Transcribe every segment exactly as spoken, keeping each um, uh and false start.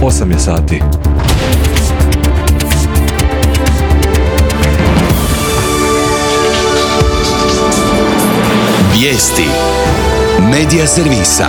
osam je sati. Vijesti Medija servisa.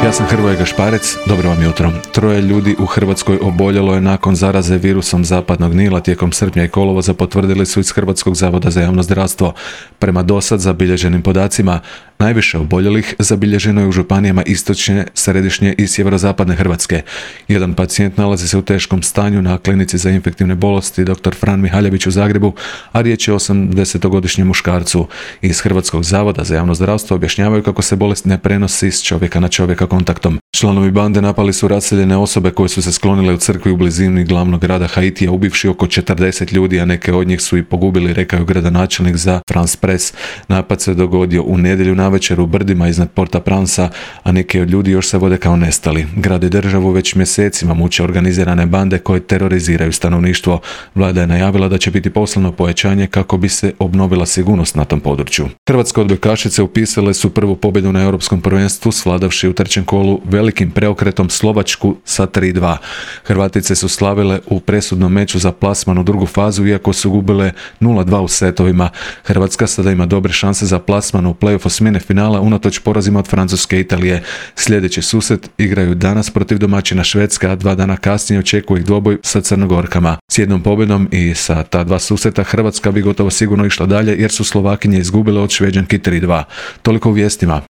Ja sam Hrvoje Gašparec, dobro vam jutro. Troje ljudi u Hrvatskoj oboljelo je nakon zaraze virusom zapadnog Nila tijekom srpnja i kolovoza, potvrdili su iz Hrvatskog zavoda za javno zdravstvo. Prema dosad zabilježenim podacima, najviše oboljelih zabilježeno je u županijama istočne, središnje i sjeverozapadne Hrvatske. Jedan pacijent nalazi se u teškom stanju na klinici za infektivne bolesti doktor Fran Mihaljević u Zagrebu, a riječ je o osamdesetogodišnjem muškarcu. Iz Hrvatskog zavoda za javno zdravstvo objašnjavaju kako se bolest ne prenosi s čovjeka na čovjeka kontaktom. Članovi bande napali su raseljene osobe koje su se sklonile u crkvi u blizini glavnog grada Haitija, ubivši oko četrdeset ljudi, a neke od njih su i pogubili, rekao je gradonačelnik za France Press. Napad se dogodio u nedjelju navečer u brdima iznad Porta Pransa, a neki od ljudi još se vode kao nestali. Grad i državu već mjesecima muče organizirane bande koje teroriziraju stanovništvo. Vlada je najavila da će biti poslano pojačanje kako bi se obnovila sigurnost na tom području. Hrvatske odbojkašice upisale su prvu pobjedu na europskom prvenstvu, svladavši u trećem kolu velikim preokretom Slovačku sa tri dva. Hrvatice su slavile u presudnom meču za plasman u drugu fazu, iako su gubile nula dva u setovima. Hrvatska sada ima dobre šanse za plasman u play-off osmine finala unatoč porazima od Francuske i Italije. Sljedeći susret igraju danas protiv domaćina Švedske, a dva dana kasnije očekuje ih dvoboj sa Crnogorkama. S jednom pobjedom i sa ta dva susreta Hrvatska bi gotovo sigurno išla dalje, jer su Slovakinje izgubile od Šveđanki tri dva. Toliko u vijestima.